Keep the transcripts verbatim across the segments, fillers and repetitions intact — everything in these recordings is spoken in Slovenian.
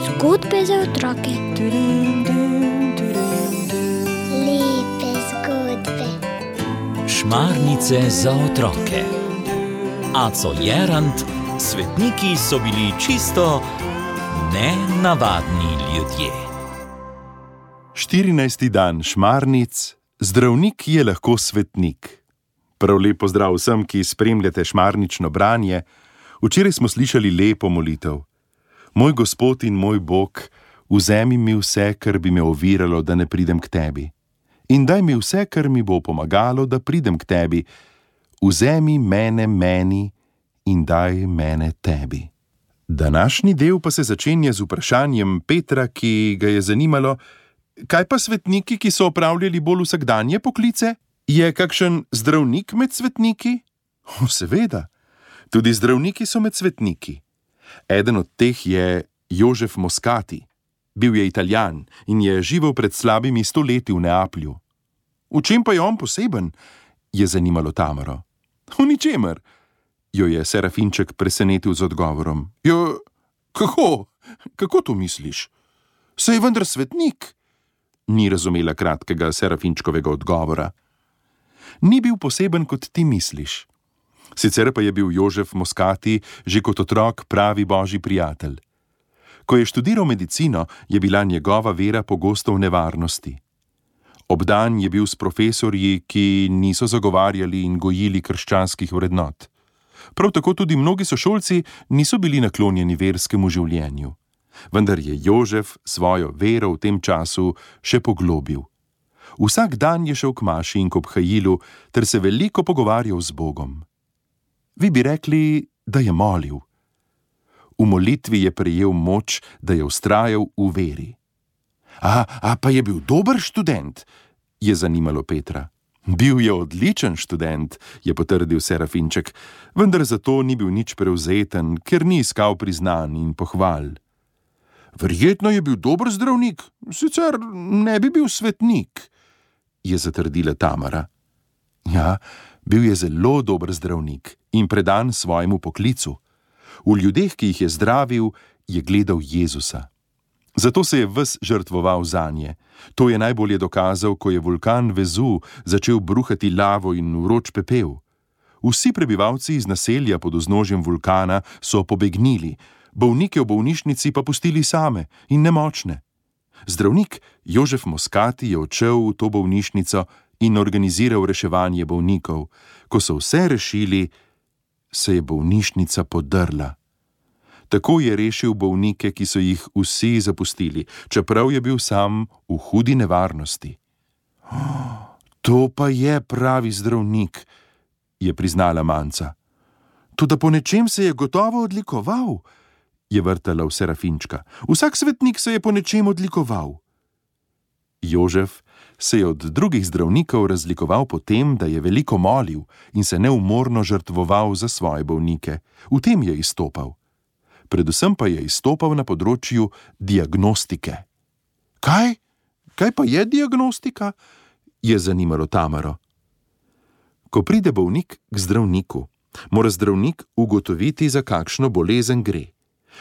Zgodbe za otroke. Lepe zgodbe. Šmarnice za otroke. Aco Jerant, svetniki so bili čisto nenavadni ljudje. štirinajsti dan šmarnic, zdravnik je lahko svetnik. Prav lep pozdrav vsem, ki spremljate šmarnično branje. Včeraj smo slišali lepo molitev. Moj Gospod in moj Bog, vzemi mi vse, kar bi me oviralo, da ne pridem k tebi. In daj mi vse, kar mi bo pomagalo, da pridem k tebi. Vzemi mene meni in daj mene tebi. Današnji del pa se začenja z vprašanjem Petra, ki ga je zanimalo, kaj pa svetniki, ki so opravljali bolj vsakdanje poklice? Je kakšen zdravnik med svetniki? O, seveda, tudi zdravniki so med svetniki. Eden od teh je Jožef Moscati. Bil je Italijan in je živel pred slabimi sto leti v Neaplju. V čem pa je on poseben? Je zanimalo Tamaro. V ničemer, jo je Serafinček presenetil z odgovorom. Jo, kako? Kako to misliš? Saj je vendar svetnik. Ni razumela kratkega Serafinčkovega odgovora. Ni bil poseben, kot ti misliš. Sicer pa je bil Jožef Moscati že kot otrok pravi božji prijatelj. Ko je študiral medicino, je bila njegova vera pogosto v nevarnosti. Obdan je bil s profesorji, ki niso zagovarjali in gojili krščanskih vrednot. Prav tako tudi mnogi sošolci niso bili naklonjeni verskemu življenju. Vendar je Jožef svojo vero v tem času še poglobil. Vsak dan je šel k maši in k obhajilu ter se veliko pogovarjal z Bogom. Vi bi rekli, da je molil. V molitvi je prejel moč, da je vztrajal v veri. A, a pa je bil dober študent, je zanimalo Petra. Bil je odličen študent, je potrdil Serafinček, vendar zato ni bil nič prevzeten, ker ni iskal priznanj in pohval. Verjetno je bil dober zdravnik, sicer ne bi bil svetnik, je zatrdila Tamara. Ja, bil je zelo dober zdravnik in predan svojemu poklicu. V ljudeh, ki jih je zdravil, je gledal Jezusa. Zato se je ves žrtvoval zanje. To je najbolje dokazal, ko je vulkan Vezu začel bruhati lavo in vroč pepel. Vsi prebivalci iz naselja pod vznožjem vulkana so pobegnili, bolnike v bolnišnici pa pustili same in nemočne. Zdravnik Jožef Moscati je odšel v to bolnišnico in organiziral reševanje bolnikov. Ko so vse rešili, se je bolnišnica podrla. Tako je rešil bolnike, ki so jih vsi zapustili, čeprav je bil sam v hudi nevarnosti. Oh, to pa je pravi zdravnik, je priznala Manca. Toda po nečem se je gotovo odlikoval, je vrtala v Serafinčka. Vsak svetnik se je po nečem odlikoval. Jožef se je od drugih zdravnikov razlikoval po tem, da je veliko molil in se neumorno žrtvoval za svoje bolnike. V tem je izstopal. Predvsem pa je izstopal na področju diagnostike. Kaj? Kaj pa je diagnostika? Je zanimalo Tamaro. Ko pride bolnik k zdravniku, mora zdravnik ugotoviti, za kakšno bolezen gre.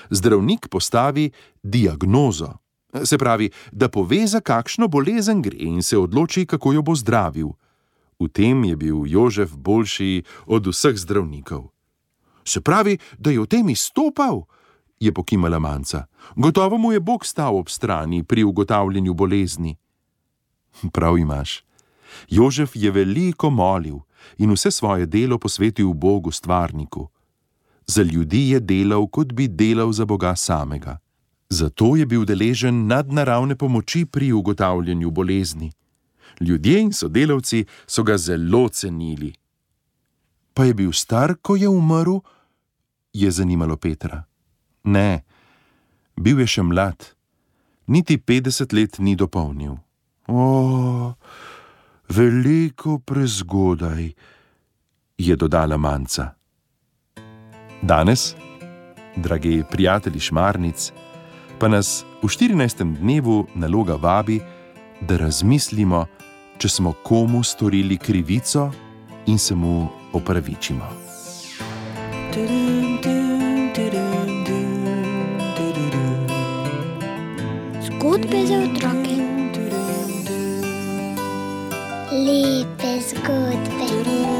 Zdravnik postavi diagnozo, se pravi, da pove, za kakšno bolezen gre in se odloči, kako jo bo zdravil. V tem je bil Jožef boljši od vseh zdravnikov. Se pravi, da je v tem izstopal, je pokimala Manca. Gotovo mu je Bog stal ob strani pri ugotavljanju bolezni. Prav imaš. Jožef je veliko molil in vse svoje delo posvetil Bogu stvarniku. Za ljudi je delal, kot bi delal za Boga samega. Zato je bil deležen nadnaravne pomoči pri ugotavljanju bolezni. Ljudje in sodelavci so ga zelo cenili. Pa je bil star, ko je umrl? Je zanimalo Petra. Ne, bil je še mlad. Niti petdeset let ni dopolnil. O, veliko prezgodaj, je dodala Manca. Danes, dragi prijatelji šmarnic, pa nas v štirinajstem dnevu naloga vabi, da razmislimo, če smo komu storili krivico in se mu opravičimo. Zgodbe za otroke. Lepe zgodbe.